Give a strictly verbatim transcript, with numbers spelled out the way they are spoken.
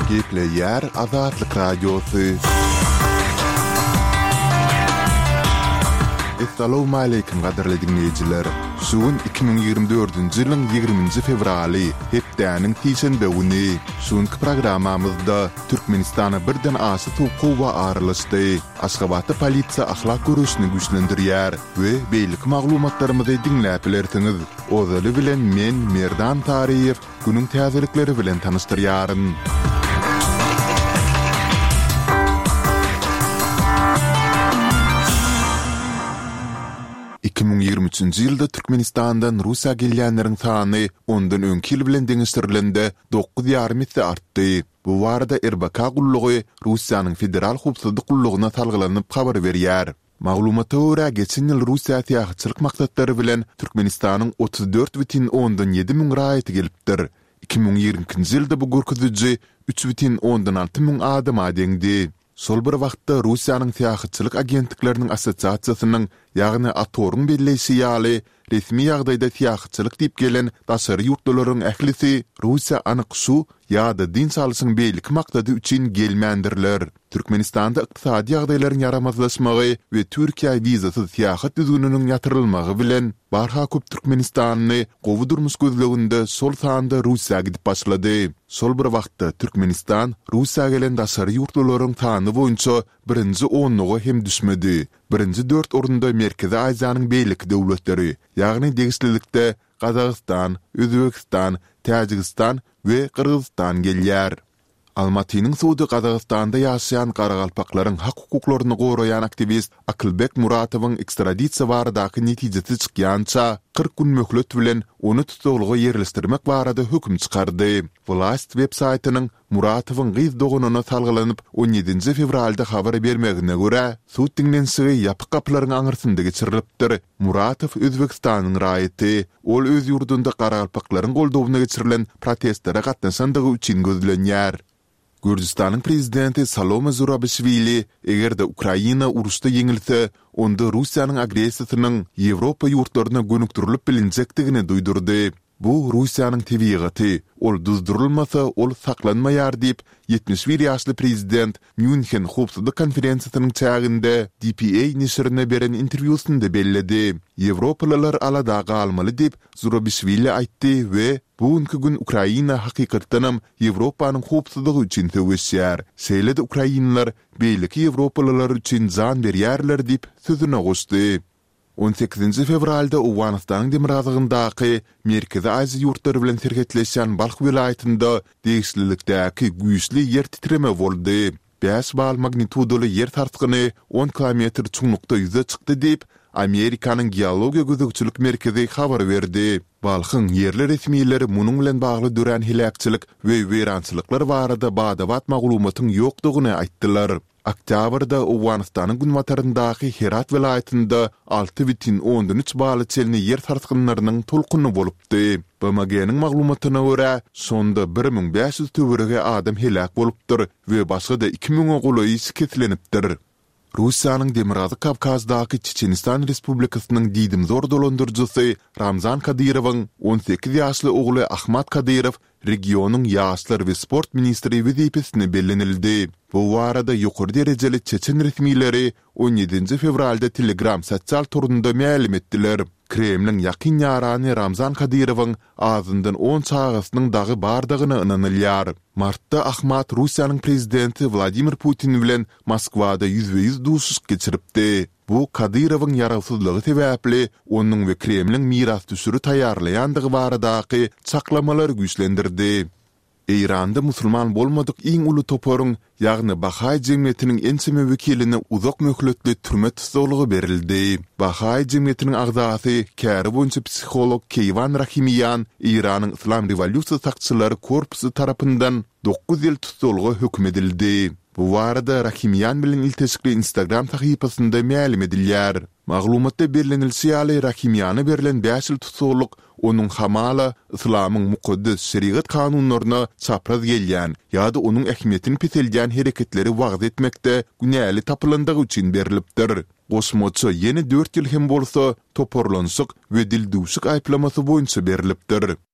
Gepleýär Azatlyk Radiosy. Essalawmaleýkim gadyrly diňleýjiler! Şu gün iki müň ýigrimi dördünji ýylyň ýigriminji fewraly, hepdäniň sişenbe güni. Şu günki programmamyzda Türkmenistana birden aşa sowuk howa aralaşdy. Aşgabatda polisiýa ahlak göreşini güýçlendirýär we beýleki maglumatlarymyzy diňläp bilersiňiz. Ozaly bilen men, Merdan Taryýew, günüň täzelikleri bilen tanyşdyrýaryn. Iki müň ýigrimi üçünji ýylda Türkmenistandan Russiýa gelýänleriň sany ondan öňki ýyl bilen deňeşdirilende dokuz ýarym esse artdy. Bu barada R B K gullugy Russiýanyň Federal howpsuzlyk gullugyna salgylanyp habar berýär. Maglumata görä, geçen ýyl Russiýa syýahatçylyk maksatlary bilen Türkmenistanyň otuz dört bütin ondan ýedi müň raýaty gelipdir. Iki müň ýigrimi ikinji ýylda bu görkeziji üç bütin ondan alty müň adama deňdi. Şol bir wagtda, Russiýanyň Syýahatçylyk agentlikleriniň assosiasiýasynyň, ýagny ATOR-yň belleýşi ýaly, resmi ýagdaýda syýahatçylyk diýip gelen daşary ýurtlularyň ählisi Russiýa anyk şu ýa-da dynç alşyň beýleki maksady üçin gelmändirler. Türkmenistanda ykdysady ýagdaýlaryň ýaramazlaşmagy we Türkiýä wizasyz syýahat düzgüniniň ýatyrylmagy bilen, barha köp türkmenistanly gowy durmuş gözleginde şol sanda Russiýa gidip başlady. Şol bir wagtda, Türkmenistan Russiýa gelen daşary ýurtlularyň sany boýunça birinji onluga hem düşmedi. Birinji dört orunda Merkezi Aziýanyň beýleki döwletleri, ýagny degişlilikde Gazagystan, Özbegistan, Täjigistan we Gyrgyzystan gelýär. Almatynyň sudy Gazagystanda ýaşaýan garagalpaklaryň hak-hukuklaryny goraýan aktiwist Akylbek Muratowyň ekstradisiýa baradaky netijesi çykýança kyrk gün möhlet bilen ony tussaglyga ýerleşdirmek barada höküm çykardy. Wlast web-saýtynyň Muratowyň gyz doganyna salgylanyp on ýedinji fewralda habar bermegine görä, sud diňlenişigi ýapyk gapylaryň aňyrsynda geçirilipdir. Muratow Özbegistanyň raýaty. Ol öz ýurdunda garagalpaklaryň goldawyna geçirilen protestlere gatnaşandygy üçin gözlenýär. Gürjüstanyň prezidenti Salome Zurabişwili, eger-de Ukraina uruşda ýeňilse, onda Russiýanyň agressiýasynyň Ýewropa ýurtlaryna gönükdirilip bilinjekdigini duýdurdy. Bu Russiýanyň tebigaty, ol duzdurylmasa, ol saklanmaýar diýip, ýetmiş bir ýaşly prezident Mýunhen howpsuzlyk konferensiýasynyň çäginde D P A neşirine beren interwýusynda belledi. Ýewropalylar alada galmaly diýip, Zurabişwili aýtdy we Bu günki gün Ukraina hakykatdanam Ýewropanyň howpsuzlygy üçin söweşýär. Şeýle-de ukrainler beýleki ýewropalylar üçin jan berýärler diýip, sözüne goşdy. On sekizinji fewralda Owganystanyň demirgazygyndaky Merkezi Aziýa ýurtlary bilen serhetleşýän Balh welaýatynda degişlilikdäki güýçli ýer titreme boldy. Bäş bal magnitudaly ýer sarsgyny on kilometr çuňlukda ýüze çykdy diýip, Amerikanyň Geologiýa gözegçilik merkezi habar berdi. Balhyň ýerli resmileri munuň bilen bagly dörän heläkçilik we weýrançylyklar barada bada-bat maglumatyň ýokdugyny aýtdylar. Oktýabrda Owganystanyň günbataryndaky Herat welaýatynda alty bütin ondan üç bala çenli ýer sarsgynlarynyň tolkuny bolupdy. B M G-niň maglumatyna görä, şonda bir müň bäş ýüz töweregi adam heläk bolupdyr we başga-da iki müňe golaýy şikeslenipdir. Russiýanyň Demirgazyk Kawkazdaky Çeçenistan Respublikasynyň diýdimzor dolandyryjysy Ramzan Kadyrowyň on sekiz ýaşly ogly Ahmad Kadyrow regionyň ýaşlar we sport ministri wezipesine bellenildi. Bu barada ýokary derejeli çeçen resmileri on ýedinji fewralda Telegram sosial torunda mälim etdiler. Kremliň ýakyn ýarany Ramzan Kadyrowyň azyndan on çagasynyň dagy bardygyna ynanylýar. Martda Ahmad Russiýanyň prezidenti Wladimir Putin bilen Moskwada ýüzbe-ýüz duşuşyk geçiripdi. Bu Kadyrowyň ýarawsyzlygy sebäpli onuň we Kremliň mirasdüşüri taýýarlaýandygy baradaky çaklamalary güýçlendirdi. Eýranda musulman bolmadyk iň uly toparyň, ýagny bahaý jemgyýetiniň ençeme wekiline uzak möhletli türme tussaglygy berildi. Bahaý jemgyýetiniň agzasy, käri boýunça psiholog Keýwan Rahimiýan Eýranyň Yslam rewolýusiýa sakçylary korpusy tarapyndan dokuz ýyl tussaglyga höküm edildi. Bu barada Rahimiýan bilen ilteşikli Instagram sahypasynda mälim edilýär. Maglumatda bellenilişi ýaly, Rahimiýana berlen bäş ýyl tussaglyk onuň hamala yslamyň mukaddes şerigat kanunlaryna çapraz gelýän ýa-da onuň ähmiýetini peseldýän hereketleri wagyz etmekde günäli tapylandygy üçin berlipdir. Goşmaça ýene dört ýyl hem bolsa toparlanyşyk we dildüwşük aýyplamasy boýunça berlipdir.